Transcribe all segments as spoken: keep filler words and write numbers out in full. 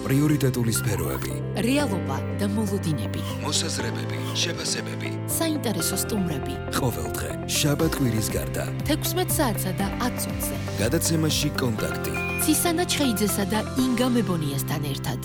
პრიორიტეტული სფეროები, რეალობა და მოლოდინები, მოსაზრებები, შეფასებები, საინტერესო სტუმრები. ყოველდღე შაბათ კვირის გარდა თექვსმეტ საათსა და ათ წუთზე. გადაცემაში კონტაქტი. ცისანა ჩხეიძესა და ინგა მებონიასთან ერთად.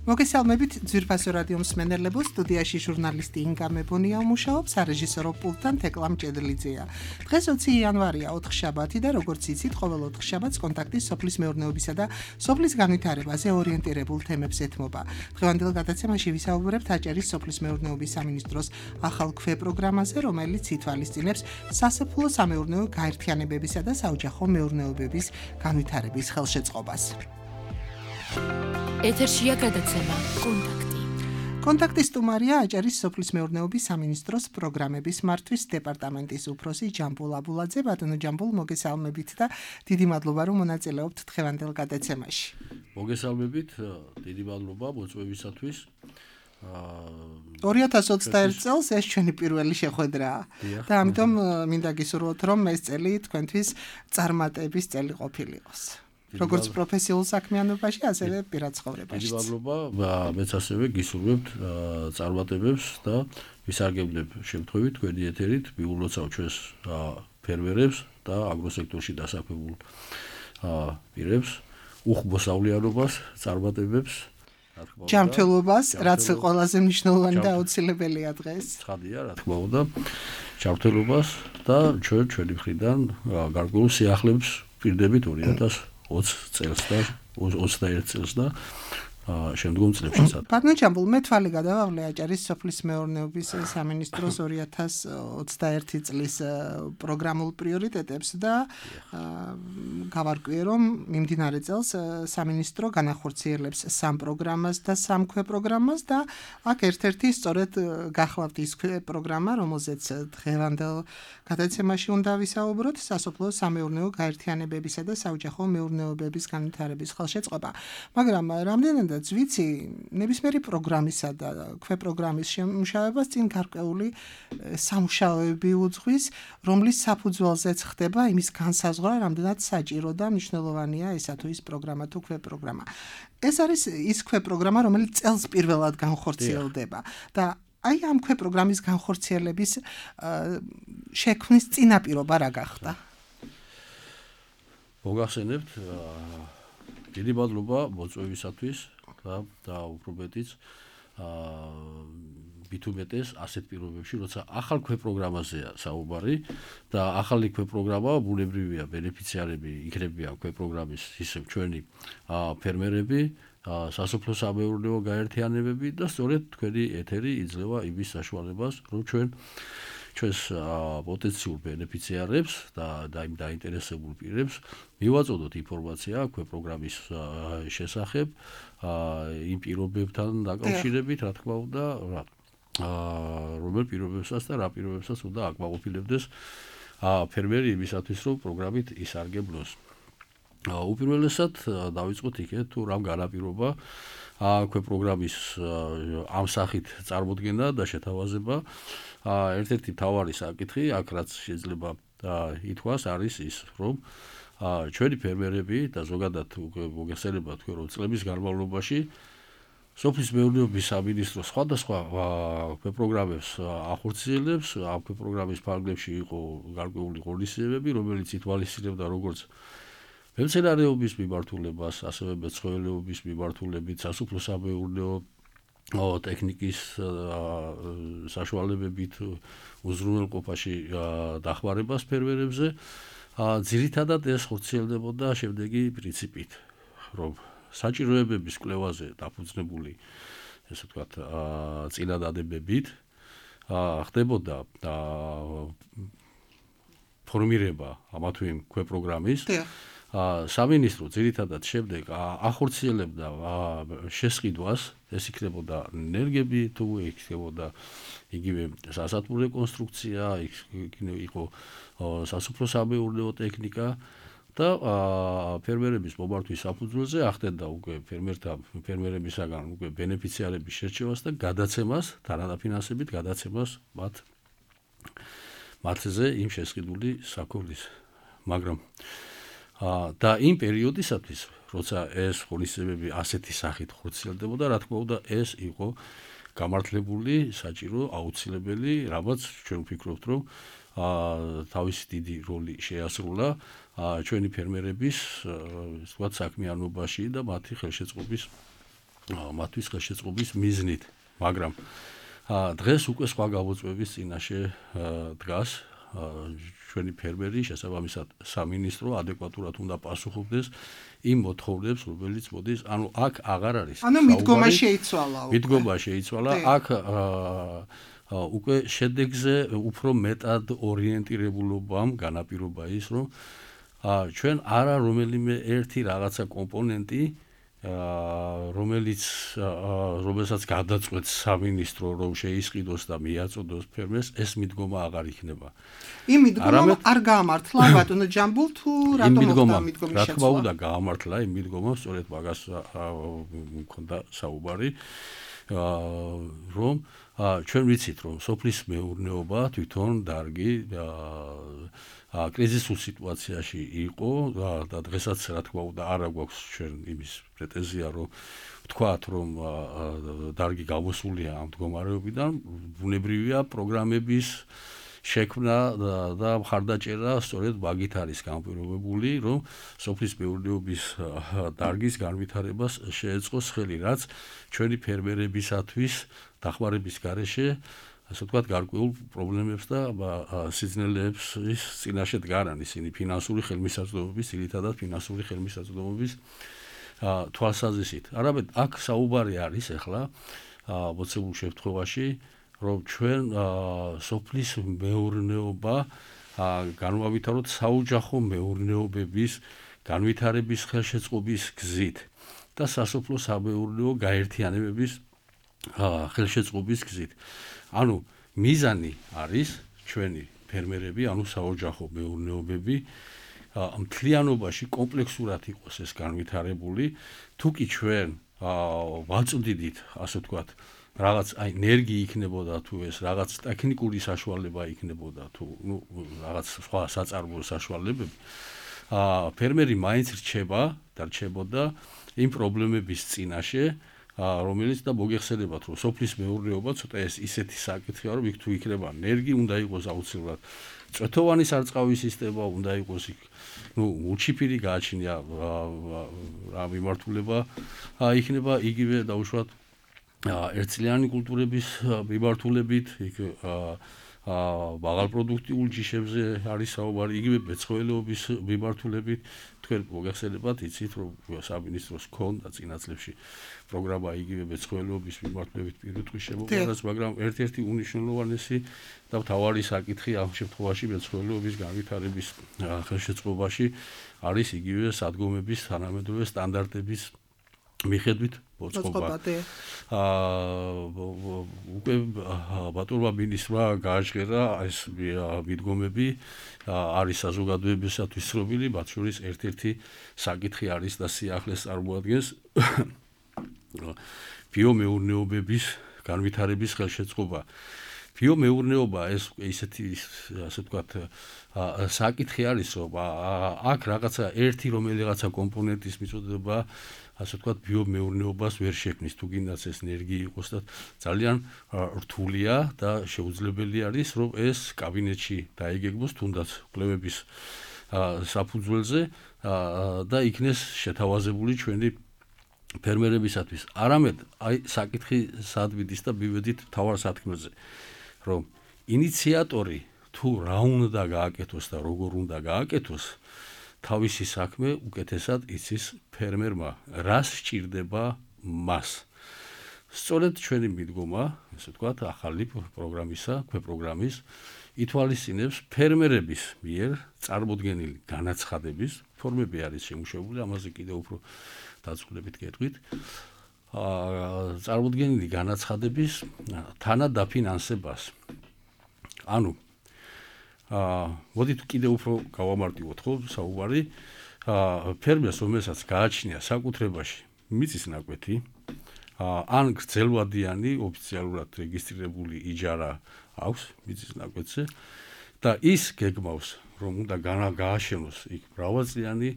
მოგესალმებით ძვირფასო რადიო მსმენელებო, სტუდიაში ჟურნალისტი ინგა მებონია მუშაობს, სარეჟისორო პულტთან თეკლა მჭედლიძეა. დღეს ოცი იანვარია, ოთხშაბათი და როგორც იცით, ყოველ ოთხშაბათს კონტაქტი სოფლის მეურნეობისა და სოფლის განვითარებაზე ორიენტირებულ თემებს ეთმობა. დღევანდელ გადაცემაში ვისაუბრებთ აჭარის სოფლის მეურნეობის სამინისტროს ახალ ქვეპროგრამაზე, რომელიც ითვალისწინებს სასოფლო სამეურნეო გაერთიანებებისა და საოჯახო მეურნეობების განვითარების ხელშეწყობას. ეთერშია გადაცემა კონტაქტი. კონტაქტის სტუმარია აჭარის სოფლის მეურნეობის სამინისტროს პროგრამების მართვის დეპარტამენტის უფროსი ჯამბულ აბულაძე. ბატონო ჯამბულ, მოგესალმებით და დიდი მადლობა რომ მონაწილეობთ დღევანდელ გადაცემაში. მოგესალმებით, დიდი მადლობა მოწვევისათვის. ორი ათას ოცდაერთი წელს ეს ჩვენი პირველი შეხვედრაა და ამიტომ მინდა გისურვოთ რომ ეს წელი თქვენთვის წარმატების წელი ყოფილიყოს. როგორც პროფესიულ საქმიანობაში, ასევე პირად ცხოვრებაში. დიდი მადლობა, მეც ასევე გისურვებთ წარმატებებს და ვისარგებლებ შემთხვევით თქვენი ეთერით, მიულოცავ ჩვენს ფერმერებს და აგროსექტორში დასაქმებულ პირებს, უხმოსავლიანობას, წარმატებებს, ჯანმრთელობას, რაც ყველაზე მნიშვნელოვანი და აუცილებელია დღეს. ცხადია, რა თქმა უნდა, ჯანმრთელობას და ჩვენ ჩვენი მხრიდან გარკვეულ სიახლეებს ვპირდებით ორი ათას ოცი წელს და ოცდაერთი წელს და შემდგომ წლებშიც. ბატონო ჯამბულ, მე თვალი გადავავლე აჭარის სოფლის მეურნეობის სამინისტროს ორი ათას ოცდაერთი წლის პროგრამულ პრიორიტეტებს და გავარკვიე რომ მიმდინარე წელს სამინისტრო განახორციელებს სამ პროგრამას და სამ ქვეპროგრამას და აქ ერთ-ერთი სწორედ გახლავთ ის ქვეპროგრამა, რომელზეც დღევანდელ გადაცემაში უნდა ვისაუბროთ, სასოფლო სამეურნეო გაერთიანებებისა და საოჯახო მეურნეობების განვითარების ხელშეწყობა. მაგრამ რამდენადაც ვიცი, ნებისმიერი პროგრამისა და ქვეპროგრამის შემუშავებას წინ გარკვეული სამუშაოები უძღვის, რომლის საფუძველზეც ხდება იმის განსაზღვრა, რამდენად საჭირო და მნიშვნელოვანია ესა თუ ის პროგრამა თუ ქვეპროგრამა. ეს არის ის ქვეპროგრამა, რომელიც წელს პირველად განხორციელდება და აი ამ ქვეპროგრამის განხორციელების შექმნის წინაპირობა რა გახდა? მოგახსენებთ, დიდი მადლობა მოწვევისათვის და უფრო მეტიც მით უმეტეს ასეთ პირობებში, როცა ახალ ქვეპროგრამაზეა საუბარი და ახალი ქვეპროგრამა ბუნებრივია, ბენეფიციარები იქნებიან ქვეპროგრამის ისევ ჩვენი ფერმერები, სასოფლო სამეურნეო გაერთიანებები და სწორედ თქვენი ეთერი იძლევა იმის საშუალებას, რომ ჩვენ ჩვენს პოტენციურ ბენეფიციარებს და იმ დაინტერესებულ პირებს მივაწოდოთ ინფორმაცია ქვეპროგრამის შესახებ, იმ პირობებთან დაკავშირებით, რა თქმა უნდა, რომელ პირობებსაც და რა პირობებსაც უნდა აკმაყოფილებდეს ფერმერი იმისათვის, რომ პროგრამით ისარგებლოს. უპირველესად დავიწყოთ იქეთ, თუ რამ განაპირობა ქვეპროგრამის ამ სახით წარმოდგენა და შეთავაზება. ერთ-ერთი მთავარი საკითხი, აქ რაც შეიძლება ითქვას, არის ის, რომ ჩვენი ფერმერები და ზოგადად მოგეხსენება თქვენ, რომ წლების განმავლობაში სოფლის მეურნეობის სამინისტრო სხვადასხვა ქვეპროგრამებს ახორციელებს. ამ ქვეპროგრამის ფარგლებში იყო გარკვეული ღონისძიებები, რომელიც ითვალისწინებდა როგორც მემცენარეობის მიმართულებას, ასევე მეცხოველეობის მიმართულებით, სასოფლო სამეურნეო ტექნიკის საშუალებებით უზრუნველყოფაში დახმარებას ფერმერებზე. ძირითადად ეს ხორციელდებოდა შემდეგი პრინციპით, რომ საჭიროებების კვლევაზე დაფუძნებული, ესე ვთქვათ, წინადადებებით ხდებოდა ფორმირება ამა თუ იმ ქვეპროგრამის. სამინისტრო ძირითადად შემდეგ ახორციელებდა შესყიდვას, ეს იქნებოდა ენერგები, თუ იქნებოდა იგივე სასათბურე რეკონსტრუქცია, იყო სასოფლო სამეურნეო ტექნიკა და ფერმერების მომართვის საფუძველზე ახდენდა უკვე ფერმერთა ფერმერებისაგან უკვე ბენეფიციარების შერჩევას და გადაცემას, თანადაფინანსებით გადაცემას მათ მათზე იმ შესყიდული საქონლის. მაგრამ და იმ პერიოდისათვის, როცა ეს ღონისძიებები ასეთი სახით ხორციელდებოდა, რა თქმა უნდა, ეს იყო გამართლებული, საჭირო, აუცილებელი, რამაც ჩვენ ვფიქრობთ, რომ თავისი დიდი როლი შეასრულა ჩვენი ფერმერების, ასე ვთქვათ, საქმიანობაში და მათი ხელშეწყობის მათთვის ხელშეწყობის მიზნით, მაგრამ დღეს უკვე სხვა გამოწვევების წინაშე დგას ჩვენი ფერმერი, შესაბამისად სამინისტრო ადეკვატურად უნდა პასუხობდეს იმ მოთხოვნებს, რომელიც მოდის, ანუ აქ აღარ არის. ანუ მიდგომა შეიცვალა უკვე. მიდგომა შეიცვალა, აქ უკვე შედეგზე უფრო მეტად ორიენტირებულობამ განაპირობა ის, რომ ჩვენ არა რომელიმე ერთი რაღაცა კომპონენტი რომელიც რომელსაც გადაწყვეტს სამინისტრო რომ შეისყიდოს და მიაწოდოს ფერმერს, ეს მიდგომა აღარ იქნება. იმ მიდგომა არ გაამართლა ბატონო ჯამბულ თუ რატომ მოხდა მიდგომის შეცვლა? რა თქმა უნდა გაამართლა იმ მიდგომა, სწორედ მაგას მქონდა საუბარი, რომ ჩვენ ვიცით რომ სოფლის მეურნეობა თვითონ დარგი კრიზისულ სიტუაციაში იყო და დღესაც რა თქმა უნდა არ გვაქვს ჩვენ იმის პრეტენზია რომ ვთქვათ რომ დარგი გამოსულია ამ მდგომარეობიდან, ბუნებრივია პროგრამების შექმნა და მხარდაჭერა სწორედ მაგით არის განპირობებული, რომ სოფლის მეურნეობის დარგის განვითარებას შეეწყოს ხელი, რაც ჩვენი ფერმერებისათვის დახმარების გარეშე ასე ვთქვათ, გარკვეულ პრობლემებს და სიძნელეებს წინაშე დგარან ისინი ფინანსური ხელმისაწვდომობის, ძირითადად ფინანსური ხელმისაწვდომობის თვალსაზრისით. არამედ აქ საუბარი არის ახლა მოცემულ შემთხვევაში, რომ ჩვენ სოფლის მეურნეობა განვავითაროთ საოჯახო მეურნეობების განვითარების ხელშეწყობის გზით და სასოფლო სამეურნეო გაერთიანებების ხელშეწყობის გზით. ანუ მიზანი არის ჩვენი ფერმერები, ანუ საოჯახო მეურნეობები მთლიანობაში კომპლექსურად იყოს ეს განვითარებული, თუ კი ჩვენ ვაწვდიდით, ასე ვთქვათ, რაღაც აი ენერგი იქნებოდა თუ ეს რაღაც ტექნიკური საშუალება იქნებოდა თუ ნუ რაღაც სხვა საწარმოო საშუალებები, ფერმერი მაინც რჩება და რჩებოდა იმ პრობლემების წინაშე, რომელიც და მოგეხსენებათ რომ სოფლის მეურნეობა ცოტა ეს ისეთი საკითხია რომ იქ თუ იქნება ენერგი უნდა იყოს აუცილებლად წვეთოვანი სარწყავი სისტემა უნდა იყოს იქ ნუ უჩიფირი გააჩნია რა მიმართულება იქნება იგივე დაუშვათ ერთწლიანი კულტურების მიმართულებით იქ მაღალპროდუქტიულ ჯიშებზე არის საუბარი, იგივე მეცხოველეობის მიმართულებით. თქვენ მოგეხსენებათ, იცით რომ სამინისტროს ქონდა წინა წლებში პროგრამა იგივე მეცხოველეობის მიმართულებით პირუტყვის შემოყვანას, მაგრამ ერთ-ერთი უნიშნულოვანესი და მთავარი საკითხი ამ შემთხვევაში მეცხოველეობის განვითარების ხელშეწყობაში არის იგივე სადგომების თანამედროვე სტანდარტების მიხედვით მოწყობა. უკვე ბატონმა მინისტრმა გააჟღერა ეს მიდგომები არის საზოგადოებისათვის ცნობილი, მათ შორის ერთ-ერთი საკითხი არის და სიახლეს წარმოადგენს ბიომეურნეობების განვითარების ხელშეწყობა. ბიომეურნეობა ეს ისეთი ასე ვთქვათ საკითხი არის, რომ აქ რაღაცა ერთი რომელიღაცა კომპონენტის მიწოდება ასე ვთქვათ ბიომეურნეობას ვერ შექმნის, თუ გინდათ ეს ენერგი იყოს და ძალიან რთულია და შეუძლებელი არის რომ ეს კაბინეტში დაიგეგმოს თუნდაც კვლევების საფუძველზე და იქნეს შეთავაზებული ჩვენი ფერმერებისათვის. არამედ აი საკითხი სად მიდის და მივედით თავარ სათქმელზე, რომ ინიციატორი თუ რა უნდა გააკეთოს და როგორ უნდა გააკეთოს თავისი საქმე უკეთესად იცის ფერმერმა, რას სჭირდება მას. სწორედ ჩვენი მიდგომა, ასე ვთქვათ, ახალი პროგრამისა, ქვეპროგრამის ითვალისწინებს ფერმერების მიერ წარმოდგენილი განაცხადების ფორმები არის შემუშავებული, ამაზე კიდევ უფრო დაწვრილებით გეტყვით. წარმოდგენილი განაცხადების თანადაფინანსებას. ანუ აა მოდით კიდევ უფრო გავამარტივოთ ხო საუბარი ფერმერს რომელსაც გააჩნია საკუთრებაში მიწის ნაკვეთი ან გრძელვადიანი ოფიციალურად რეგისტრირებული იჯარა აქვს მიწის ნაკვეთზე და ის გეგმავს რომ უნდა გააშენოს იქ მრავალწლიანი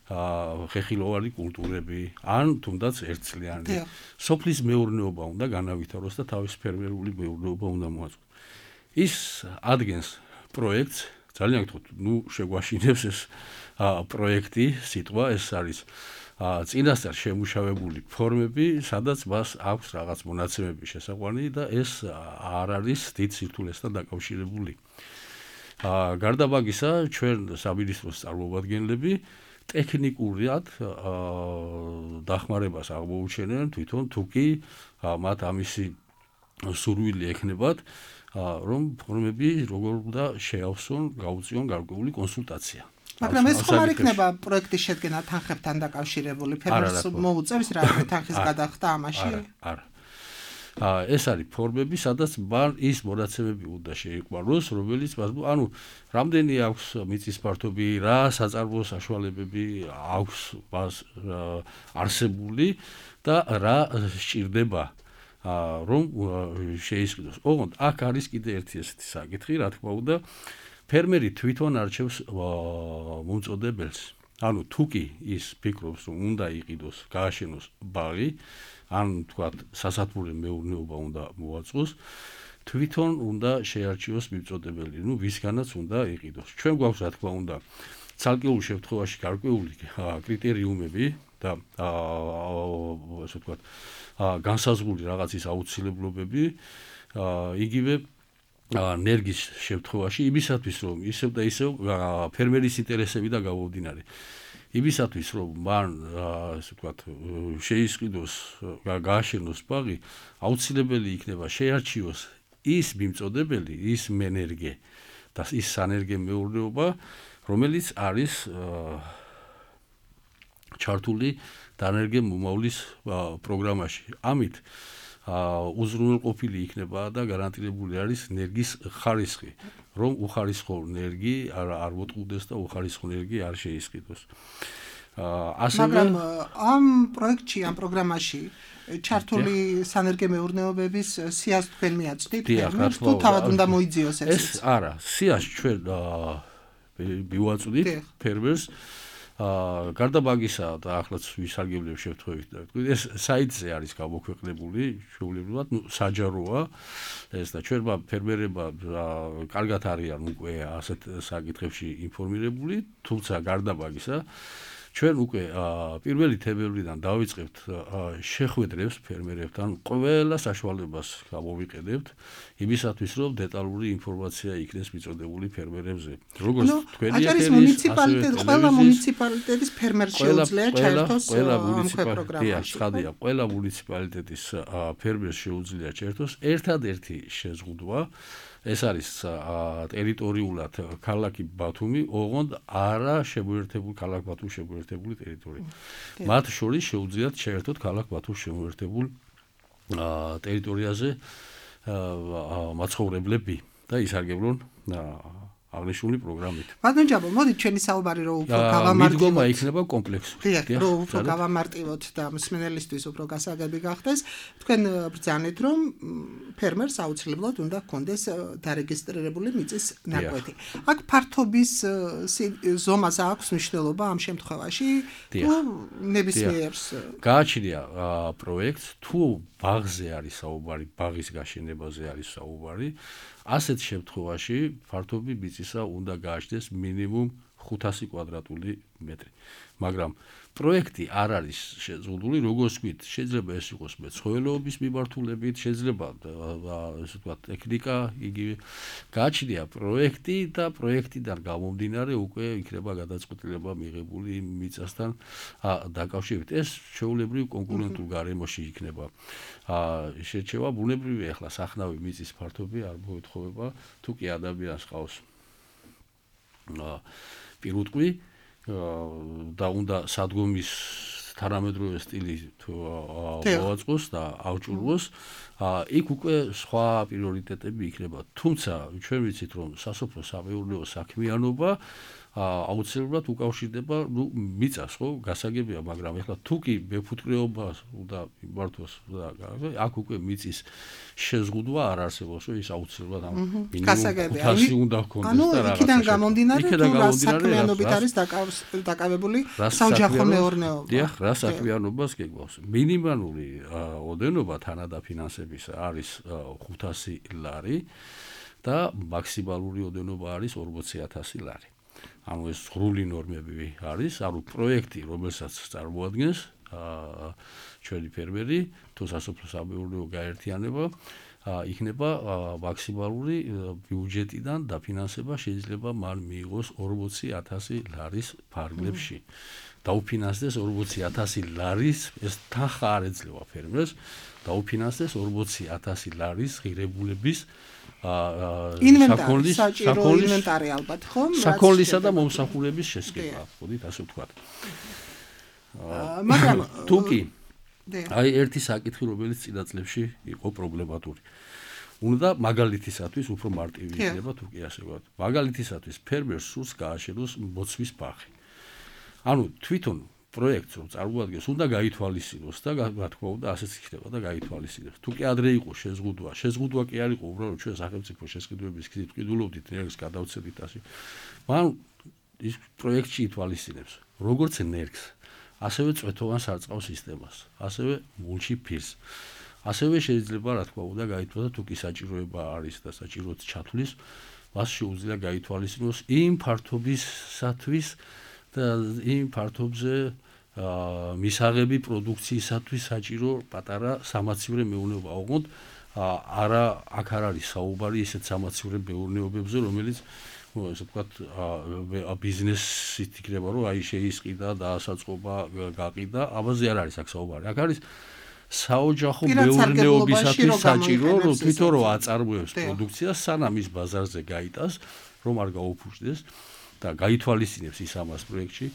ხეხილოვანი კულტურები ან თუნდაც ერთწლიანი სოფლის მეურნეობა უნდა განავითაროს და თავის ფერმერული მეურნეობა უნდა მოაწყოს. ის ადგენს პროექტს ძალიან გთხოვთ, ნუ შეგვაშინებს ეს პროექტი, სიტყვა ეს არის წინასწარ შემუშავებული ფორმები, სადაც მას აქვს რაღაც მონაცემები შესაყვანი და ეს არ არის დიდ სირთულესთან დაკავშირებული. გარდა მაგისა, ჩვენ სამინისტროს წარმომადგენლები ტექნიკურად დახმარებას აღმოუჩენენ თვითონ თუ კი მათ ამისი სურვილი ექნებათ, რომ ფორმები როგორ უნდა შეავსონ, გაუწიონ გარკვეული კონსულტაცია. მაგრამ ეს ხომ არ იქნება პროექტის შედგენა თანხებთან დაკავშირებული, ფერმერს მოუწევს რამე თანხის გადახდა ამაში? არა. ეს არის ფორმები, სადაც მან ის მონაცემები უნდა შეიყვანოს, რომელიც ანუ რამდენი აქვს მიწის ფართობი, რა საწარმო საშუალებები აქვს მას არსებული და რა სჭირდება რომ შეისყიდოს. ოღონდ აქ არის კიდე ერთი ესეთი საკითხი, რა თქმა უნდა, ფერმერი თვითონ არჩევს მომწოდებელს. ანუ თუ კი ის ფიქრობს, რომ უნდა იყიდოს, გააშენოს ბაღი, ან თქვათ სასათბურე მეურნეობა უნდა მოაწყოს, თვითონ უნდა შეარჩიოს მიმწოდებელი, ну ვისგანაც უნდა იყიდოს. ჩვენ გვაქვს რა თქმა უნდა ცალკეულ შემთხვევაში გარკვეული კრიტერიუმები და ასე ვთქვათ განსაზღვრული რაღაცის აუცილებლობები, იგივე ნერგის შემთხვევაში იმისათვის რომ ისევ და ისევ ფერმერის ინტერესები და გამომდინარე იმისათვის რომ მან ასე ვთქვათ შეისყიდოს, გააშენოს ბაღი, აუცილებელი იქნება შეარჩიოს ის მიმწოდებელი, ის მენერგე და ის სანერგე მეურნეობა, რომელიც არის ჩართული დანერგე მომავლის პროგრამაში. ამით უზრუნველყოფილი იქნება და გარანტირებული არის ნერგის ხარისხი, რომ უხარისხო ნერგი არ არ მოტყუდეს და უხარისხო ნერგი არ შეისყიდოს. ასევე მაგრამ ამ პროექტში, ამ პროგრამაში ჩართული სანერგე მეურნეობების სიას თქვენ მიაწვდით, ფერმერს თუ თავად უნდა მოიძიოს ეს? ეს არა, სიას ჩვენ მივაწვდით ფერმერს. აა გარდა მაგისა და ახლაც ვისარგებლებ შევთხოვით და ვთქვი ეს საიტზე არის გამოქვეყნებული შეუძლებლად, ნუ საჯაროა ეს და ჩვენმა ფერმერებმა კარგად არიან უკვე ასეთ საკითხებში ინფორმირებული, თუმცა გარდა მაგისა ჩვენ უკვე პირველი თებერვლიდან დავიწყებთ შეხვედრებს ფერმერებთან, ყველა საშუალებას გამოვიყენებთ იმისათვის, რომ დეტალური ინფორმაცია იქნეს მიწოდებული ფერმერებზე. როგორც თქვენი ეთერის მუნიციპალიტეტი, ყველა მუნიციპალიტეტის ფერმერს შეუძლია ჩაერთოს ამ პროგრამაში. ხადია, ყველა მუნიციპალიტეტის ფერმერს შეუძლია ჩაერთოს ერთადერთი შეზღუდვა. ეს არის ტერიტორიულად ქალაქი ბათუმი, ოღონდ არა შემოერთებული ქალაქ ბათუმის შემოერთებული ტერიტორია. მათ შორის შეუძლიათ შეერთოთ ქალაქ ბათუმის შემოერთებულ ტერიტორიაზე მაცხოვრებლები და ისარგებლონ აღნიშნული პროგრამით. ბატონ ჯაბო, მოდით ჩვენი საუბარი რო უფრო გავამარტივოთ. მიდგომა იქნება კომპლექსური. დიახ, რო უფრო გავამარტივოთ და მსმენელისთვის უფრო გასაგები გახდეს, თქვენ ბრძანეთ, რომ ფერმერს აუცილებლად უნდა ჰქონდეს დარეგისტრირებული მიწის ნაკვეთი. აქ ფართობის ზომაზე აქვს მნიშვნელობა ამ შემთხვევაში, თუ ნებისმიერს გააჩნია პროექტს, თუ ბაღზე არის საუბარი, ბაღის გაშენებაზე არის საუბარი, ასეთ შემთხვევაში ფართობი მიწისა უნდა გააჩნდეს მინიმუმ ხუთასი კვადრატული მეტრი. მაგრამ პროექტი არ არის შეზღუდული, როგორც ვთქვით, შეიძლება ეს იყოს მეცხოველეობის მიმართულებით, შეიძლება ასე ვთქვათ, ტექნიკა, იგივე გააჩნია პროექტი და პროექტიდან გამომდინარე უკვე იქნება გადაწყვეტილება მიღებული მიწასთან დაკავშირებით. ეს ჩვეულებრივ კონკურენტულ გარემოში იქნება შეჩევა, ბუნებრივია ახლა სახნავი მიწის ფართობი არ მოეთხოვება, თუ კი ადამიანს ყავს პირუტყვი და უნდა სადგომის თანამედროვე სტილი მოაწყოს და ავჭურვოს, იქ უკვე სხვა პრიორიტეტები იქნება. თუმცა ჩვენ ვიცით, რომ სასოფლო სამეურნეო საქმიანობა აუცილებლად უკავშირდება ნუ მიწას ხო გასაგებია მაგრამ ეხლა თუ კი მეფუტკრეობას უნდა იმართოს და აქ უკვე მიწის შეზღუდვა არ არსებობს რომ ის აუცილებლად ამ მინიმუმ ხუთასი უნდა ჰქონდეს და რაღაცა იქიდან გამომდინარე თუ რა საქმიანობით არის დაკავებული საოჯახო მეურნეობა დიახ რა საქმიანობას გეგმავს მინიმალური ოდენობა თანადაფინანსების არის ხუთასი ლარი და მაქსიმალური ოდენობა არის ორმოცი ათასი ლარი ანუ ეს სრული ნორმები არის, ანუ პროექტი, რომელსაც წარმოადგენს ჩვენი ფერმერი, თუ სასოფლო-სამეურნეო გაერთიანება, იქნება მაქსიმალური ბიუჯეტიდან დაფინანსება შეიძლება მან მიიღოს ორმოცი ათასი ლარის ფარგლებში. დაუფინანსდეს ორმოცი ათასი ლარის, ეს თანხა არ ეძლევა ფერმერს, დაუფინანსდეს ორმოცი ათასი ლარის ღირებულების ინვენტარი, საჭირო ინვენტარი ალბათ, ხო? საქონლისა და მომსახურების შესყიდვა, ხოდით ასე ვთქვათ. მაგრამ თუ კი აი ერთი საკითხი, რომელიც წინა წლებში იყო პრობლემატური. უნდა მაგალითისათვის უფრო მარტივი იქნება თუ კი ასე ვთქვათ. მაგალითისათვის ფერმერს სურს გააშენოს მოცვის ბაღი. ანუ თვითონ პროექტს რომ წარმოადგენს, უნდა გაითვალისწინოს და რა თქმა უნდა ასეც იქნება და გაითვალისწინოს. თუ კი ადრე იყო შეზღუდვა, შეზღუდვა კი არ იყო უბრალოდ ჩვენ სახელმწიფო შესყიდვების გზით ვყიდულობდით ნერგს გადავცემით ასე. მან ის პროექტში ითვალისწინებს, როგორც ნერგს, ასევე წვეთოვან სარწყავ სისტემას, ასევე მულჩი ფირს. ასევე შეიძლება რა თქმა უნდა გაითვალისწინოს, თუ კი საჭიროება არის და საჭიროც ჩათვლის, მას შეუძლია გაითვალისწინოს იმ ფართობისათვის და იმ ფართობზე მისაღები პროდუქციისათვის საჭირო პატარა სამაცივრე მეურნეობა. ოღონდ არა აქ არ არის საუბარი ისეთ სამაცივრე მეურნეობებზე, რომელიც ესე ვთქვათ ბიზნესით იქნება, რომ აი შეისყიდა, დაასაწყობა, გაყიდა, ამაზე არ არის აქ საუბარი. აქ არის საოჯახო მეურნეობისათვის საჭირო, რომ თვითონ რომ აწარმოებს პროდუქციას, სანამ ის ბაზარზე გაიტანს, რომ არ გაუფუჭდეს და გაითვალისწინებს ის ამას პროექტში.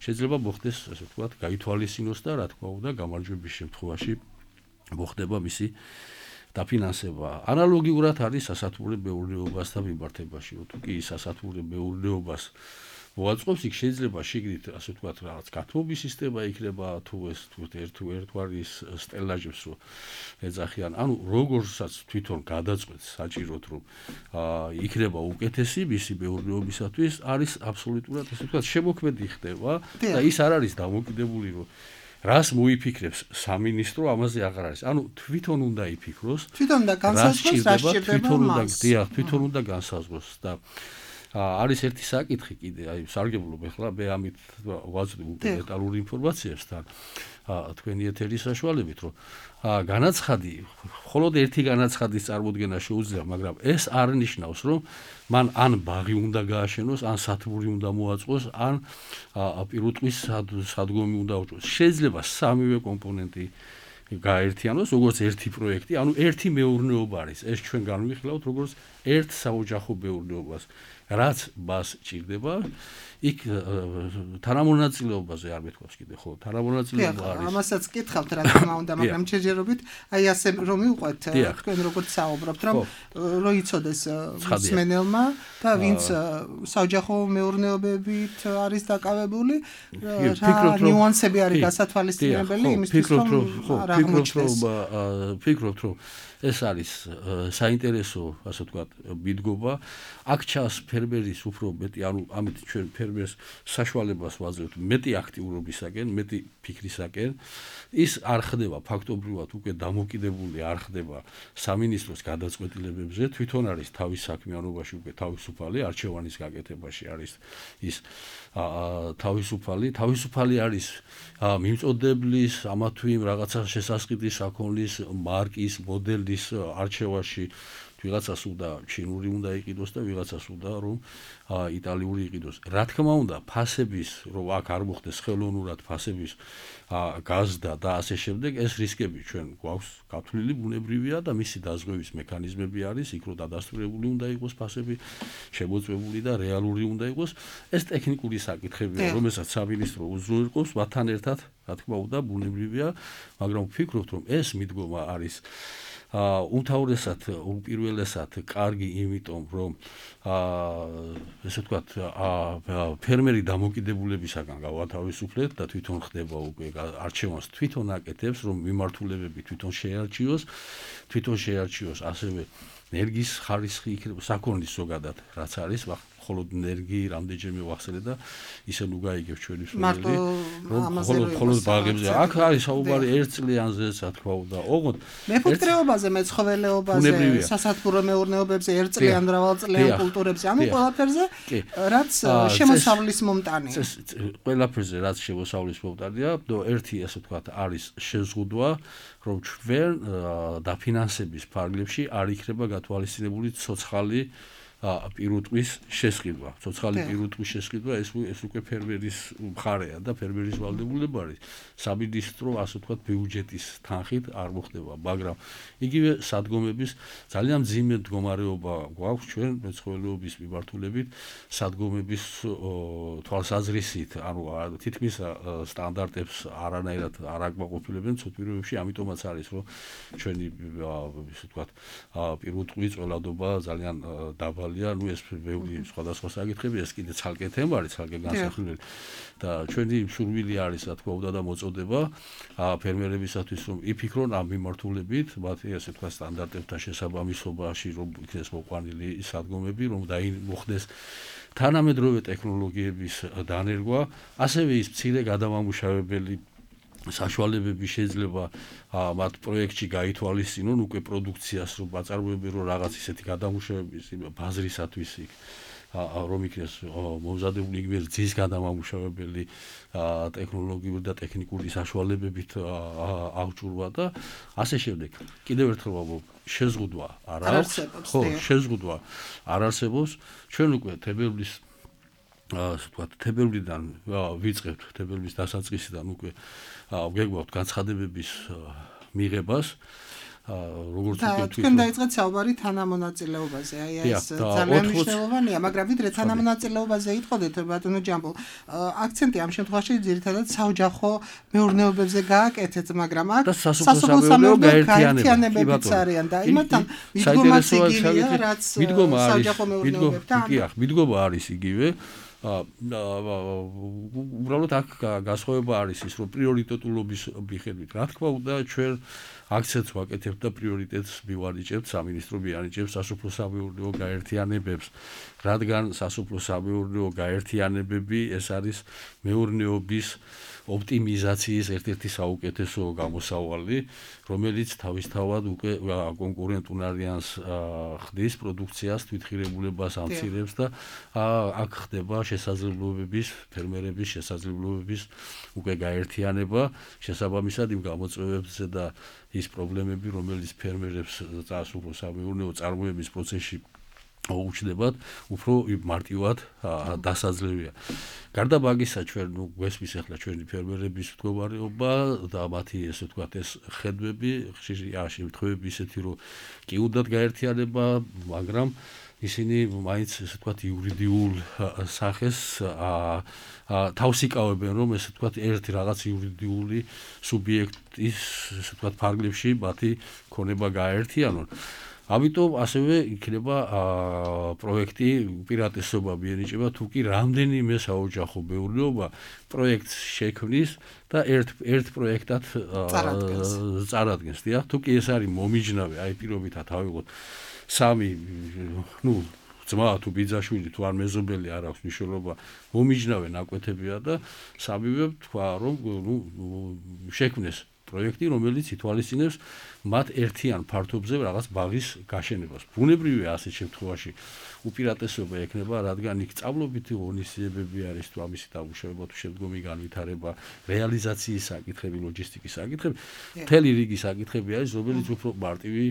შეიძლება მოხდეს, ასე ვთქვათ, გაითვალისწინოს და რა თქმა უნდა, გამარჯვების შემთხვევაში მოხდება მისი დაფინანსება. ანალოგიურად არის სასათბურე მეურნეობასთან მიმართებაში, რომ თუ კი სასათბურე მეურნეობას მოაწყობს, იქ შეიძლება შიგნით, ასე ვთქვათ, რაღაც გათბობის სისტემა იქნება, თუ ეს თუ ერთ ერთგვარის სტელაჟებს რო ეძახიან. ანუ როგორცაც თვითონ გადაწყვეტს საჭიროდ, რომ იქნება უკეთესი მისი მეურნეობისათვის, არის აბსოლუტურად, ასე ვთქვათ, შემოქმედი ხდება და ის არ არის დამოკიდებული, რომ რას მოიფიქრებს სამინისტრო, ამაზე აღარ არის. ანუ თვითონ უნდა იფიქროს, თვითონ უნდა განსაზღვროს, რა თვითონ უნდა, დიახ, თვითონ უნდა განსაზღვროს და არის ერთი საკითხი კიდე, აი სარგებლობ ეხლა მე ამით ვაძლევ უკვე დეტალური ინფორმაციებს თან თქვენი ეთერის საშუალებით, რომ განაცხადი, მხოლოდ ერთი განაცხადის წარმოქმნა შეუძლია, მაგრამ ეს არ ნიშნავს, რომ მან ან ბაღი უნდა გააშენოს, ან სათბური უნდა მოაწყოს, ან პირუტყვის სადგომი უნდა აუჭოს. შეიძლება სამივე კომპონენტი გაერთიანოს, როგორც ერთი პროექტი, ანუ ერთი მეურნეობა არის. ეს ჩვენ განვიხილავთ, როგორც ერთ საოჯახო მეურნეობას. რაც მას ჭირდება, იქ თანამონაწილეობაზე არ მეთქვას კიდე, ხო, თანამონაწილეობა არის. ამასაც კითხავთ რა თქმა უნდა, მაგრამ შეჯერობით, აი ასე რომ მივყვეთ, თქვენ როგორც საუბრობთ, რომ რო იცოდეს მსმენელმა და ვინც საოჯახო მეურნეობებით არის დაკავებული, რა ნიუანსები არის გასათვალისწინებელი იმისთვის, რომ არ აღმოჩნდეს. ფიქრობთ, რომ ეს არის საინტერესო, ასე ვთქვათ, მიდგომა. აქ ჩანს ფერმერის უფრო მეტი, ანუ ამით ჩვენ ფერმერს საშუალებას ვაძლევთ მეტი აქტიურობისაკენ, მეტი ფიქრისაკენ. ის არ ხდება ფაქტობრივად უკვე დამოკიდებული არ ხდება სამინისტროს გადაწყვეტილებებზე, თვითონ არის თავის საქმიანობაში უკვე თავისუფალი, არჩევანის გაკეთებაში არის ის თავისუფალი, თავისუფალი არის მიმწოდებლის, ამა თუ იმ რაღაცა შესასყიდის საქონლის მარკის, მოდელის არჩევაში. ვიღაცას უნდა ჩინური უნდა იყიდოს და ვიღაცას უნდა რომ იტალიური იყიდოს. რა თქმა უნდა, ფასების, რომ აქ არ მოხდეს ხელოვნურად ფასების გაზდა და ასე შემდეგ, ეს რისკები ჩვენ გვაქვს გათვლილი ბუნებრივია და მისი დაზღვევის მექანიზმები არის, იქ რომ დადასტურებული უნდა იყოს ფასები, შემოწმებული და რეალური უნდა იყოს. ეს ტექნიკური საკითხებია, რომელსაც სამინისტრო უზრუნველყოფს მათთან ერთად, რა თქმა უნდა, ბუნებრივია, მაგრამ ვფიქრობთ, რომ ეს მიდგომა არის უმთავრესად უპირველესად კარგი იმიტომ რომ ესე ვთქვათ ფერმერი დამოკიდებულებისაგან გავათავისუფლეთ და თვითონ ხდება უკვე არჩევანს თვითონ აკეთებს რომ მიმართულებები თვითონ შეარჩიოს თვითონ შეარჩიოს ასევე ენერგიის ხარისხი იქნება საქონლის ზოგადად რაც არის მხოლოდ ენერგიის რამდენჯერმე ვახსენე და ისე ნუ გაიგებ ჩვენი მსმენელი რომ მხოლოდ მხოლოდ ბაღებზე აქ არის საუბარი ერთ წლიანზე რა თქმა უნდა ოღონდ მეფუტკრეობაზე მეცხოველეობაზე სასათბურო მეურნეობებზე ერთ წლიან მრავალწლიან კულტურებზე ანუ ყველაფერზე რაც შემოსავლის მომტანია ყველაფერზე რაც შემოსავლის მომტანია და ერთი ასე ვთქვათ არის შეზღუდვა რომ ჩვენ დაფინანსების ფარგლებში არ იქნება გათვალისწინებული ცოცხალი პირუტყვის შესყიდვა. ცოცხალი პირუტყვის შესყიდვა ეს ეს უკვე ფერმერის მხარეა და ფერმერის ვალდებულება არის. სამინისტრო ასე ვთქვათ ბიუჯეტის თანხით არ მოხდება, მაგრამ იგივე სადგომების ძალიან მძიმე მდგომარეობა გვაქვს ჩვენ მეცხოველეობის მიმართულებით სადგომების თვალსაზრისით, ანუ თითქმის სტანდარტებს არანაირად არ აკმაყოფილებენ ცოტვიროებში, ამიტომაც არის რომ ჩვენი ასე ვთქვათ პირუტყვის წველადობა ძალიან დაბალი ნუ ეს ბევრი სხვადასხვა საკითხები ეს კიდე ცალკე თემა არის ცალკე განსახილველი და ჩვენი სურვილი არის რა თქმა უნდა და მოწოდება ფერმერებისათვის რომ იფიქრონ ამ მიმართულებით მათი ასე თქვა სტანდარტებთან შესაბამისობაში რომ იქნეს მოყვანილი სადგომები რომ დაიმოხდეს თანამედროვე ტექნოლოგიების დანერგვა ასევე ის მცირე გადამამუშავებელი საშუალებები შეიძლება მათ პროექტში გაითვალისწინონ უკვე პროდუქციას რომ აწარმოებენ რომ რაღაც ისეთი გადამუშავების ბაზრისათვის იქ რომ იქნეს მომზადებული იგივე ძის გადამამუშავებელი ტექნოლოგიური და ტექნიკური საშუალებებით აღჭურვა და ასე შემდეგ. კიდევ ერთხელ ვამბობ, შეზღუდვა არ არის, ხო, შეზღუდვა არ არსებობს. ჩვენ უკვე თებერვლის ასე ვთქვათ, თებერვლიდან ვიწყებთ თებერვლის დასაწყისიდან უკვე ვგეგმავთ განცხადებების მიღებას როგორც უკვე თქვენ დაიწყეთ საუბარი თანამონაწილეობაზე აი ეს ძალიან მნიშვნელოვანია მაგრამ ვიდრე თანამონაწილეობაზე იტყოდეთ ბატონო ჯამბო აქცენტი ამ შემთხვევაში ძირითადად საოჯახო მეურნეობებზე გააკეთეთ მაგრამ აქ სასოფლო სამეურნეო გაერთიანებებიც არიან და იმათთან მიდგომაც იგივეა რაც საოჯახო მეურნეობებთან მიდგომა არის იგივე უბრალოდ აქ გასხოვება არის ის რომ პრიორიტეტულობის მიხედვით რა თქმა უნდა ჩვენ აქცენტს ვაკეთებთ და პრიორიტეტს მივანიჭებთ სამინისტრო მიანიჭებს სასოფლო სამეურნეო გაერთიანებებს რადგან სასოფლო სამეურნეო გაერთიანებები ეს არის მეურნეობის ოპტიმიზაციის ერთ-ერთი საუკეთესო გამოსავალი რომელიც თავისთავად უკვე კონკურენტუნარიანს ხდის პროდუქციას თვითღირებულებას ამცირებს და აქ ხდება შესაძლებლობების ფერმერების შესაძლებლობების უკვე გაერთიანება შესაბამისად იმ გამოწვევებზე და ის პრობლემები რომელიც ფერმერებს სასოფლო სამეურნეო წარმოების პროცესში უჩნდებათ უფრო მარტივად დასაძლევია. გარდა მაგისა ჩვენ ნუ გვესმის ახლა ჩვენი ფერმერების მდგომარეობა და მათი ესე ვთქვათ ეს ხედვები ხშირი შემთხვევები ისეთი რომ კი უნდათ გაერთიანება მაგრამ ისინი მაინც ესე ვთქვათ იურიდიულ სახეს თავს იკავებენ რომ ესე ვთქვათ ერთი რაღაც იურიდიული სუბიექტის ესე ვთქვათ ფარგლებში მათი ქონება გაერთიანონ. ამიტომ ასევე იქნება პროექტი უპირატესობა მიენიჭება თუ კი რამდენიმე საოჯახო მეურნეობა პროექტს შექმნის და ერთ ერთ პროექტად წარადგენს. დიახ, თუ კი ეს არის მომიჯნავე, აი პირობითად ავიღოთ სამი ნუ ძმა თუ ბიძაშვილი თუ არ მეზობელი არ აქვს მნიშვნელობა მომიჯნავე ნაკვეთებია და სამივე თქვა რომ ნუ შექმნეს პროექტი რომელიც ითვალისწინებს მათ ერთიან ფართობზე რაღაც ბაღის გაშენებას. ბუნებრივია ასეთ შემთხვევაში უპირატესობა ექნება, რადგან იქ სწავლობითი ღონისძიებები არის თუ ამისი დამუშავება თუ შემდგომი განვითარება, რეალიზაციის საკითხები, ლოჯისტიკის საკითხები, მთელი რიგი საკითხები არის, რომელიც უფრო მარტივი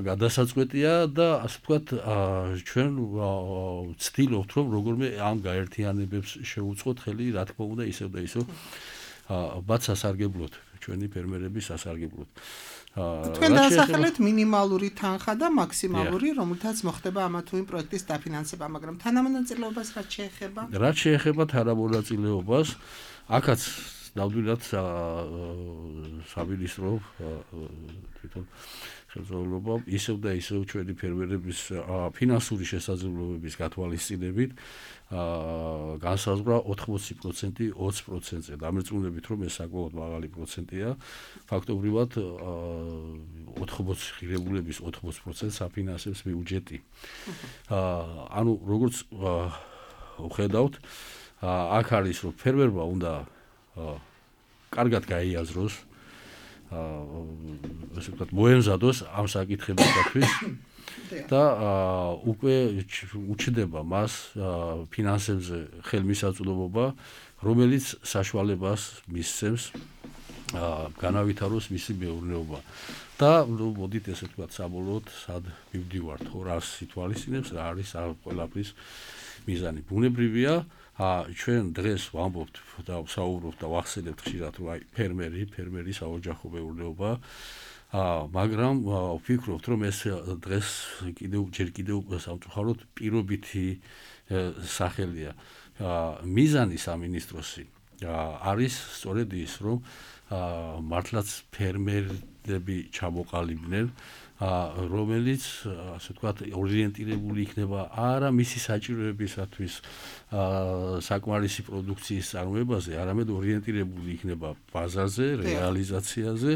გადასაწყვეტია და ასე ვთქვათ, ჩვენ ვცდილობთ რომ როგორმე ამ გაერთიანებებს შევუწყოთ ხელი, რა თქმა უნდა, ისევ და ისევ მათ სასარგებლოდ, ჩვენი ფერმერების სასარგებლოდ. თქვენ დაასახელეთ მინიმალური თანხა და მაქსიმალური, რომელთაც მოხდება ამა თუ იმ პროექტის დაფინანსება, მაგრამ თანამონაწილეობას რაც შეეხება? რაც შეეხება თანამონაწილეობას, აქაც ნამდვილად სამინისტრო თვითონ ხელმძღვანელობა ისევ და ისევ ჩვენი ფერმერების ფინანსური შესაძლებლობების გათვალისწინებით განსაზღვრა ოთხმოცი პროცენტი ოცი პროცენტზე. დამერწმუნებით რომ ეს საკმაოდ მაღალი პროცენტია. ფაქტობრივად ოთხმოცი ღირებულების ოთხმოცი პროცენტს აფინანსებს ბიუჯეტი. ანუ როგორც ვხედავთ, აქ არის რომ ფერმერმა უნდა კარგად გაიაზროს, ასე ვთქვათ, მოემზადოს ამ საკითხებისათვის და უკვე უჩნდება მას ფინანსებზე ხელმისაწვდომობა, რომელიც საშუალებას მისცემს განავითაროს მისი მეურნეობა. და მოდით ესე ვთქვათ, საბოლოოდ სად მივდივართ, ხო, რას ითვალისწინებს, რა არის ყველაფრის მიზანი. ბუნებრივია, ჩვენ დღეს ვამბობთ და ვსაუბრობთ და ვახსენებთ ხშირად, რომ აი ფერმერი, ფერმერი საოჯახო მეურნეობა, მაგრამ ვფიქრობთ, რომ ეს დღეს კიდევ ჯერ კიდევ სამწუხაროდ პირობითი სახელია. მიზანი სამინისტროსი არის სწორედ ის, რომ მართლაც ფერმერები ჩამოყალიბდნენ, რომელიც ასე ვთქვათ ორიენტირებული იქნება არა მისი საჭიროებისათვის საკმარისი პროდუქციის წარმოებაზე, არამედ ორიენტირებული იქნება ბაზარზე, რეალიზაციაზე,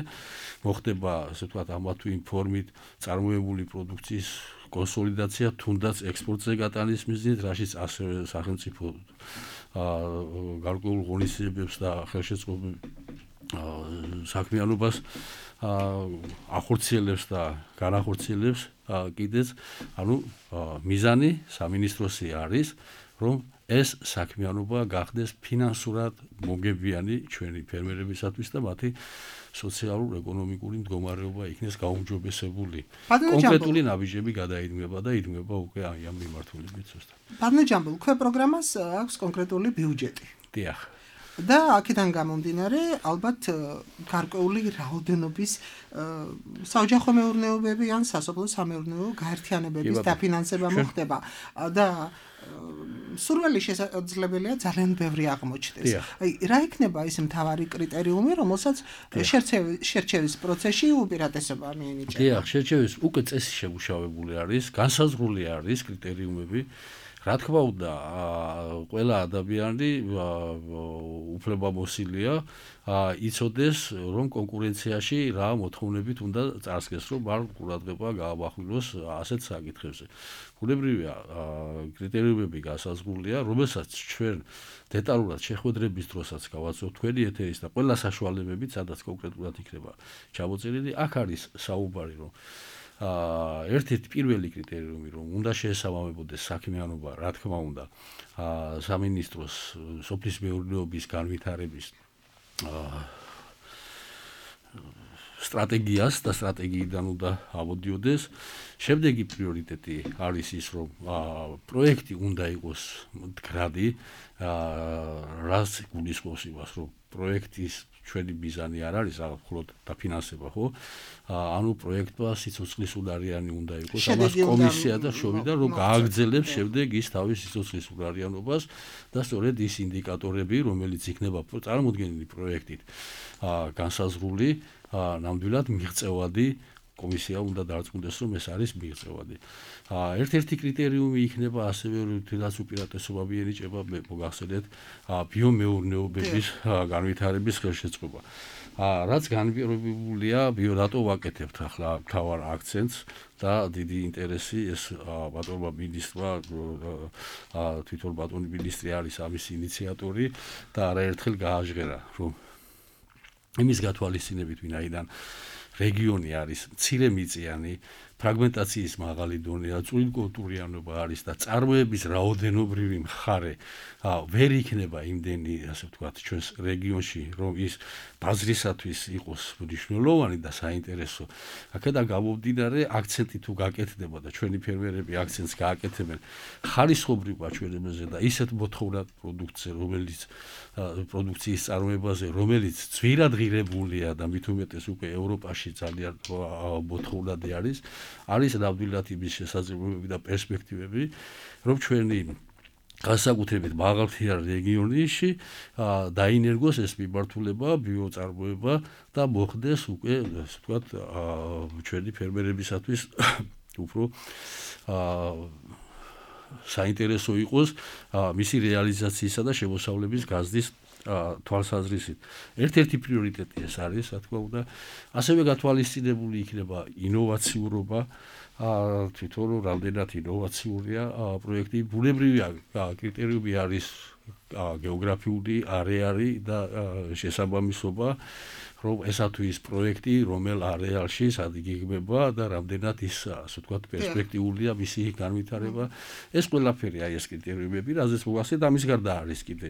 მოხდება ასე ვთქვათ ამა თუ იმ ფორმით წარმოებული პროდუქციის კონსოლიდაცია, თუნდაც ექსპორტზე გატანის მიზნით, რაშიც ასევე სახელმწიფო გარკვეულ ღონისძიებებს და ხელშეწყობილ საქმიანობას ახორციელებს და განახორციელებს კიდეც, ანუ მიზანი სამინისტროსი არის, რომ ეს საქმიანობა გახდეს ფინანსურად მომგებიანი ჩვენი ფერმერებისათვის და მათი სოციალურ-ეკონომიკური მდგომარეობა იქნეს გაუმჯობესებული. კონკრეტული ნაბიჯები გადაიდგება და იდგება უკვე ამ მიმართულებით ზუსტად. ბატონო ჯამბულ, ქვე პროგრამას აქვს კონკრეტული ბიუჯეტი. დიახ. და აქედან გამომდინარე, ალბათ გარკვეული რაოდენობის საოჯახო მეურნეობები ან სასოფლო სამეურნეო გაერთიანებების დაფინანსება მოხდება და სურვილი შესაძლებელია ძალიან ბევრი აღმოჩნდეს. აი, რა იქნება ის მთავარი კრიტერიუმი, რომელსაც შერჩევის პროცესში უპირატესობა მიენიჭება? დიახ, შერჩევის უკვე წესი შემუშავებული არის, განსაზღვრული არის კრიტერიუმები. რა თქმა უნდა, ყველა ადამიანი უფლებამოსილია იცოდეს, რომ კონკურენციაში რა მოთხოვნებით უნდა წარსდგეს, რომ არ ყურადღება გაამახვილოს ასეთ საკითხებზე. ბუნებრივია, კრიტერიუმები განსაზღვრულია, რომელსაც ჩვენ დეტალურად შეხვედრების დროსაც გავაცნობთ თქვენი ეთერის და ყველა საშუალებებით, სადაც კონკრეტულად იქნება ჩამოწერილი, აქ არის საუბარი, რომ ერთ-ერთი პირველი კრიტერიუმი, რომ უნდა შეესაბამებოდეს საქმიანობა, რა თქმა უნდა, სამინისტროს სოფლის მეურნეობის განვითარების სტრატეგიას და სტრატეგიიდან უნდა ამოდიოდეს. შემდეგი პრიორიტეტი არის ის, რომ პროექტი უნდა იყოს მდგრადი, რაც გულისხმობს იმას, რომ პროექტის ჩვენი მიზანი არ არის მხოლოდ დაფინანსება, ხო? ანუ პროექტმა სიცოცხლის უნარიანი უნდა იყოს, ამას კომისია და შევიდა, რომ გააგრძელებს შემდეგ ის თავის სიცოცხლის უნარიანობას და სწორედ ის ინდიკატორები, რომელიც იქნება წარმოდგენილი პროექტით განსაზღვრული, ნამდვილად მიღწევადი კომისია უნდა დარწმუნდეს, რომ ეს არის მიღწევადი. ერთ-ერთი კრიტერიუმი იქნება ასევე, რითაც უპირატესობა მიენიჭება, მოგახსენეთ, ბიომეურნეობების განვითარების ხელშეწყობა. რაც განპირობებულია, რატო ვაკეთებთ ახლა მთავარ აქცენტს და დიდი ინტერესი ეს ბატონმა მინისტრმა, თვითონ ბატონი მინისტრი არის ამის ინიციატორი და არაერთხელ გააჟღერა, რომ იმის გათვალისწინებით, ვინაიდან რეგიონი არის მცირემიწიანი, ფრაგმენტაციის მაღალი დონე, წვრილკულტურიანობა არის და წარმოების რაოდენობრივი მხარე ვერ იქნება იმდენი, ასე ვთქვათ, ჩვენს რეგიონში, რომ ის ბაზრისათვის იყოს მნიშვნელოვანი და საინტერესო. აქედან გამომდინარე, აქცენტი თუ გაკეთდება და ჩვენი ფერმერები აქცენტს გააკეთებენ ხარისხობრივ აჩვენებაზე და ისეთ მოთხოვნად პროდუქციაზე, რომელიც პროდუქციის წარმოებაზე, რომელიც ძვირად ღირებულია და მით უმეტეს უკვე ევროპაში ძალიან მოთხოვნადი არის, არის ნამდვილად იმის შესაძლებლობები და პერსპექტივები, რომ ჩვენი განსაკუთრებით მაღალმთიან რეგიონებში დაინერგოს ეს მიმართულება, ბიოწარმოება და მოხდეს უკვე, ასე ვთქვათ, ჩვენი ფერმერებისათვის უფრო საინტერესო იყოს მისი რეალიზაციისა და შემოსავლების გაზრდის თვალსაზრისით. ერთ-ერთი პრიორიტეტი ეს არის, რა თქმა უნდა, ასევე გათვალისწინებული იქნება ინოვაციურობა, თვითონ რამდენად ინოვაციურია პროექტი. ბუნებრივია კრიტერიუმი არის გეოგრაფიული არეალი და შესაბამისობა, რომ ესა თუ ის პროექტი, რომელ არეალში სადიგებება და რამდენად ის, ასე ვთქვათ, პერსპექტიულია მისი განვითარება. ეს ყველაფერი აი ეს კრიტერიუმები, რაზეც მოგახსენეთ, ამის გარდა არის კიდე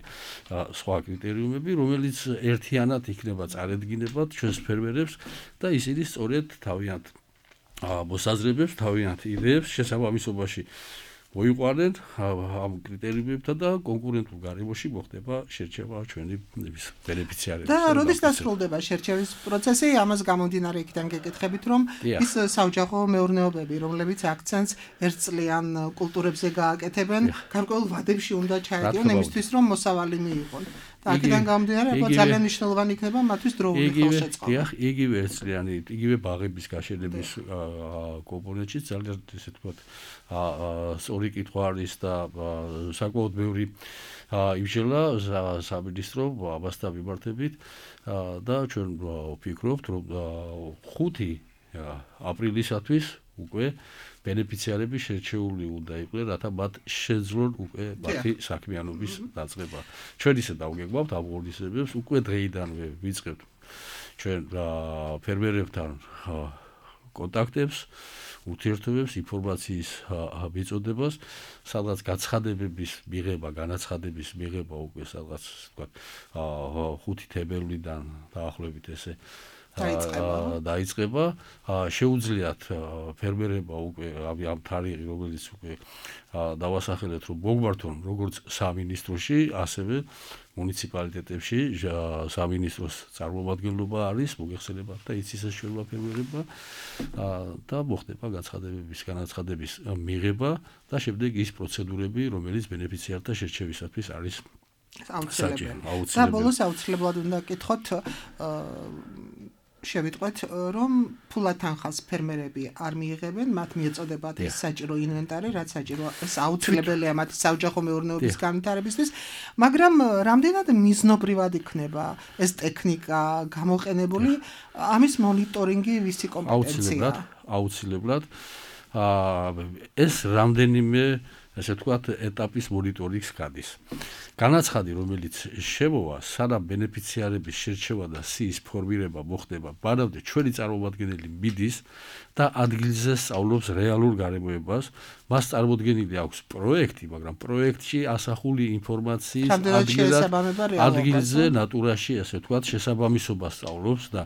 სხვა კრიტერიუმები, რომელიც ერთიანად იქნება წარედგინებად ჩვენს ფერმერებს და ისინი სწორედ თავიანთ მოსაზრებებს, თავიანთ იდეებს შესაბამისობაში მოიყვანენ ამ კრიტერიუმებთან და კონკურენტულ გარემოში მოხდება შერჩევა ჩვენი ბენეფიციარების. და როდის დასრულდება შერჩევის პროცესი? ამას გამომდინარე იქიდან გეკითხებით, რომ ის საოჯახო მეურნეობები, რომლებიც აქცენტს ერთწლიან კულტურებზე გააკეთებენ, გარკვეულ ვადებში უნდა ჩაეტიონ იმისთვის, რომ მოსავალი მიიღონ. და აქედან გამომდინარე, ძალიან მნიშვნელოვანი იქნება მათთვის დროული ხელშეწყობა. დიახ, იგივე ერთწლიანი, იგივე ბაღების გაშენების კომპონენტში ძალიან ესე ვთქვათ, სწორი კითხვა არის და საკმაოდ ბევრი იმშელა სამინისტრო ამასთან მიმართებით და ჩვენ ვფიქრობთ, რომ ხუთი აპრილისათვის უკვე ბენეფიციარები შერჩეული უნდა იყვნენ, რათა მათ შეძლონ უკვე მათი საქმიანობის დაწყება. ჩვენ ისე დავგეგმავთ ამ ღონისძიებებს, უკვე დღეიდანვე ვიწყებთ ჩვენ ფერმერებთან კონტაქტებს, ურთიერთობებს, ინფორმაციის მიწოდებას, სადღაც გაცხადებების მიღება, განაცხადების მიღება უკვე სადღაც თქვა ხუთი თებერვლიდან დაახლოებით ესე დაიწყება. შეუძლიათ ფერმერებმა უკვე ამ თარიღი, რომელიც უკვე დავასახელეთ, რომ მოგვართონ როგორც სამინისტროში, ასევე მუნიციპალიტეტებში სამინისტროს წარმომადგენლობა არის, მოგეხსენებათ და იცის ეს ჩვენმა ფერმერებმა და მოხდება გაცხადებების, განაცხადების მიღება და შემდეგ ის პროცედურები, რომელიც ბენეფიციართა შერჩევისათვის არის აუცილებელი. და ბოლოს აუცილებლად უნდა გკითხოთ, შევიტყვეთ, რომ ფულად თანხას ფერმერები არ მიიღებენ, მათ მიეწოდებათ ეს საჭირო ინვენტარი, რაც საჭირო ეს აუცილებელია მათი საოჯახო მეურნეობის განვითარებისთვის, მაგრამ რამდენად მიზნობრივად იქნება ეს ტექნიკა გამოყენებული, ამის მონიტორინგი ვისი კომპეტენცია? აუცილებლად. ეს რამდენიმე ესე ვთქვათ, ეტაპის მონიტორინგს გადის. განაცხადი, რომელიც შემოვა, სანამ ბენეფიციარების შერჩევა და სიის ფორმირება მოხდება, მანამდე ჩვენი წარმომადგენელი მიდის და ადგილზე სწავლობს რეალურ გარემოებას. მას წარმოდგენილი აქვს პროექტი, მაგრამ პროექტში ასახული ინფორმაციის ადგილზე, ნატურაში, ასე ვთქვათ, შესაბამისობას სწავლობს და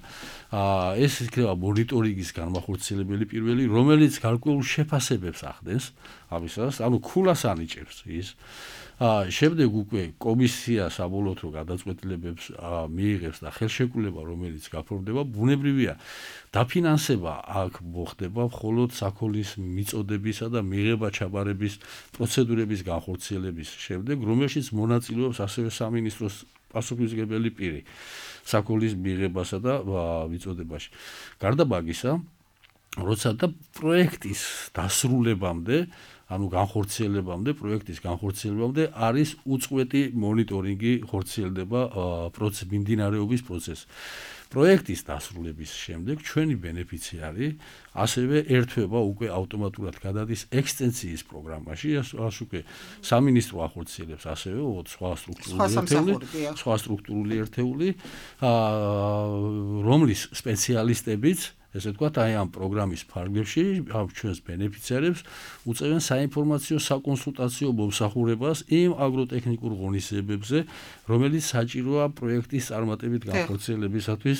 ეს იქნება მონიტორინგის განმახორციელებელი პირველი, რომელიც გარკვეულ შეფასებებს ახდენს ამისას, ანუ ქულას ანიჭებს ის. შემდეგ უკვე კომისია საბოლოოდ გადაწყვეტილებებს მიიღებს და ხელშეკრულება, რომელიც გაფორმდება, ბუნებრივია, დაფინანსება აქ მოხდება მხოლოდ საქონლის მიწოდებისა და მიღება ჩაბარების პროცედურების განხორციელების შემდეგ, რომელშიც მონაწილეობს ასევე სამინისტროს პასუხისმგებელი პირი საქონლის მიღებასა და მიწოდებაში. გარდა მაგისა, როცა და პროექტის დასრულებამდე ანუ განხორციელებამდე, პროექტის განხორციელებამდე არის უწყვეტი მონიტორინგი ხორციელდება პროცესის მიმდინარეობის პროცესს. პროექტის დასრულების შემდეგ ჩვენი ბენეფიციარი ასევე ერთვება უკვე ავტომატურად გადადის ექსტენსიის პროგრამაში, ასე უკვე სამინისტრო ახორციელებს ასევე სხვა სტრუქტურული ერთეული, სხვა სტრუქტურული ერთეული, რომლის სპეციალისტებიც ესე ვთქვათ, აი ამ პროგრამის ფარგლებში ამ ჩვენს ბენეფიციარებს უწევენ საინფორმაციო საკონსულტაციო მომსახურებას იმ აგროტექნიკურ ღონისძიებებზე, რომელიც საჭიროა პროექტის წარმატებით განხორციელებისათვის.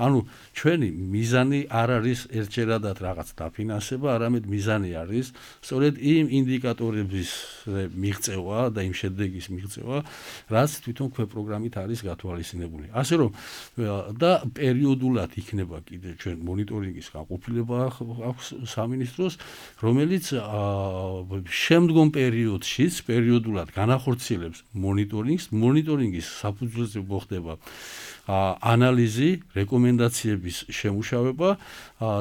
ანუ ჩვენი მიზანი არ არის ერთჯერადად რაღაც დაფინანსება, არამედ მიზანი არის სწორედ იმ ინდიკატორების მიღწევა და იმ შედეგის მიღწევა, რაც თვითონ ქვეპროგრამით არის გათვალისწინებული. ასე რომ და პერიოდულად იქნება კიდე ჩვენ მონიტორინგის გაყოფილება აქვს სამინისტროს, რომელიც შემდგომ პერიოდშიც პერიოდულად განახორციელებს მონიტორინგს, მონიტორინგის საფუძველზე მოხდება ანალიზი, რეკომენდაციების შემუშავება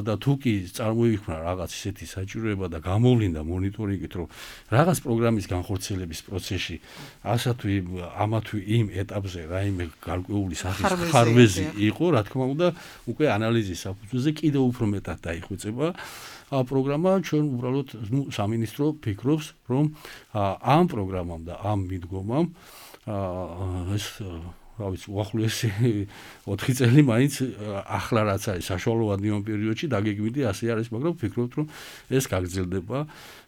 და თუ კი წარმოიქმნა რაღაც ისეთი საჭიროება და გამოვლინდა მონიტორინგით, რომ რაღაც პროგრამის განხორციელების პროცესში ასა თუ ამა თუ იმ ეტაპზე რაიმე გარკვეული სახის ხარვეზი იყო, რა თქმა უნდა, უკვე ანალიზის საფუძველზე კიდევ უფრო მეტად დაიხვეწება პროგრამა. ჩვენ უბრალოდ ნუ სამინისტრო ფიქრობს, რომ ამ პროგრამამ და ამ მიდგომამ ეს რა ვიცი, უახლოესი ოთხი წელი მაინც ახლა რაც არის საშუალო ადმინო პერიოდში დაგეგმილი ასე არის, მაგრამ ვფიქრობთ, რომ ეს გაგრძელდება,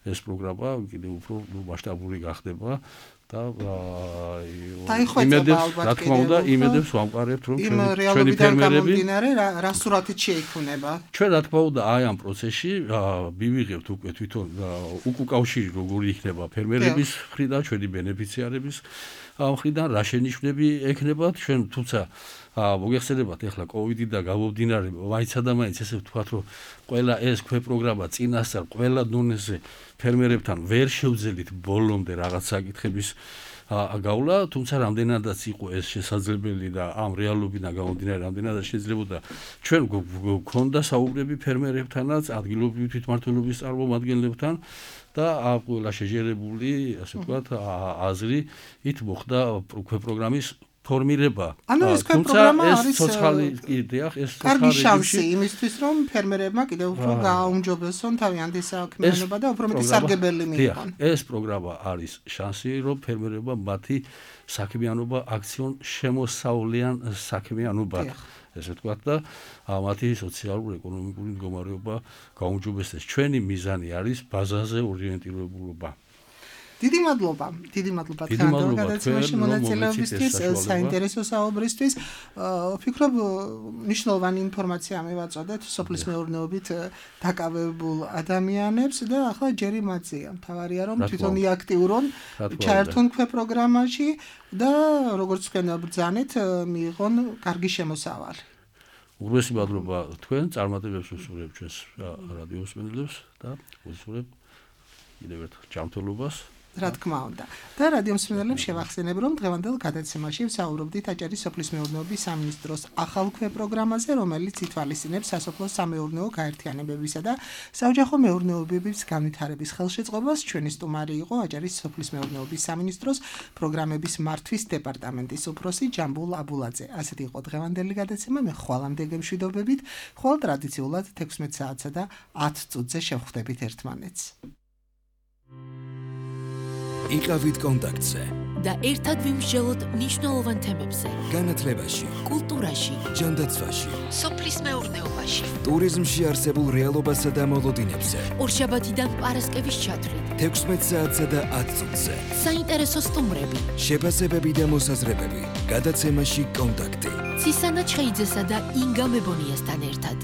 ეს პროგრამა კიდევ უფრო მასშტაბური გახდება და იმედებს, რა თქმა უნდა, იმედებს ვამყარებთ, რომ ჩვენი ფერმერები რა სურათით შეიქმნება. ჩვენ რა თქმა უნდა აი ამ პროცესში მივიღებთ უკვე თვითონ უკავშირი როგორი იქნება ფერმერების მხრიდან, ჩვენი ბენეფიციარების მხრიდან, რა შენიშვნები ექნებათ ჩვენ, თუმცა მოგეხსენებათ ახლა კოვიდი და გამომდინარე მაინცა და მაინც ესე ვთქვათ, რომ ყველა ეს ქვეპროგრამა წინასწარ ყველა დონეზე ფერმერებთან ვერ შევძელით ბოლომდე რაღაც საკითხების გავლა, თუმცა რამდენადაც იყო ეს შესაძლებელი და ამ რეალობიდან გამომდინარე რამდენადაც შეიძლებოდა ჩვენ გვქონდა საუბრები ფერმერებთანაც, ადგილობრივი თვითმმართველობის წარმომადგენლებთან და ყველა შეჯერებული, ასე ვთქვათ, აზრი ით მოხდა ქვეპროგრამის ფორმირება. ანუ ეს პროგრამა არის ცოცხალი იდეა, ეს კარგი შანსი იმისთვის, რომ ფერმერებმა კიდევ უფრო გააუმჯობესონ თავიანთი საქმიანობა და უფრო მეტი სარგებელი მიიღონ. ეს პროგრამა არის შანსი, რომ ფერმერებმა მათი საქმიანობა აქციონ შემოსავლიან საქმიანობად. ესე ვთქვათ და მათი სოციალურ-ეკონომიკური მდგომარეობა გაუმჯობესდეს. ჩვენი მიზანი არის ბაზაზე ორიენტირებულობა. დიდი მადლობა, დიდი მადლობა თქვენ გადაცემაში მონაწილეობისთვის, საინტერესო საუბრისთვის. ვფიქრობ, მნიშვნელოვანი ინფორმაცია მივაწოდეთ სოფლის მეურნეობით დაკავებულ ადამიანებს და ახლა ჯერი მათზეა. მთავარია რომ თვითონ იაქტიურონ, ჩაერთონ ქვეპროგრამაში და როგორც თქვენ ბრძანეთ, მიიღონ კარგი შემოსავალი. უღრესი მადლობა თქვენ, წარმატებებს ვუსურვებ ჩვენს რადიო მსმენელებს და ვუსურვებ კიდევ ერთხელ ჯანმრთელობას. რა თქმა უნდა. და რადიო მსმენელებს შევახსენებ, რომ დღევანდელ გადაცემაში ვსაუბრობდით აჭარის სოფლის მეურნეობის სამინისტროს ახალ ქვეპროგრამაზე, რომელიც ითვალისწინებს სასოფლო სამეურნეო გაერთიანებებისა და საოჯახო მეურნეობების განვითარების ხელშეწყობას. ჩვენი სტუმარი იყო აჭარის სოფლის მეურნეობის სამინისტროს პროგრამების მართვის დეპარტამენტის უფროსი ჯამბულ აბულაძე. ასეთი იყო დღევანდელი გადაცემა. მე ხვალამდე გემშვიდობებით. ხვალ ტრადიციულად თექვსმეტ საათსა და ათ წუთზე შევხვდებით ერთმანეთს. იყავით კონტაქტზე და ერთად ვიმსჯელოთ მნიშვნელოვან თემებზე. განათლებაში, კულტურაში, ჯანდაცვაში, სოფლის მეურნეობაში, ტურიზმში არსებულ რეალობასა და მოლოდინებზე. ორშაბათიდან პარასკევის ჩათვლით. თექვსმეტ საათსა და ათ წუთზე. საინტერესო სტუმრები, შეფასებები და მოსაზრებები. გადაცემაში კონტაქტი. ცისანა ჩხეიძესა და ინგა მებონიასთან ერთად.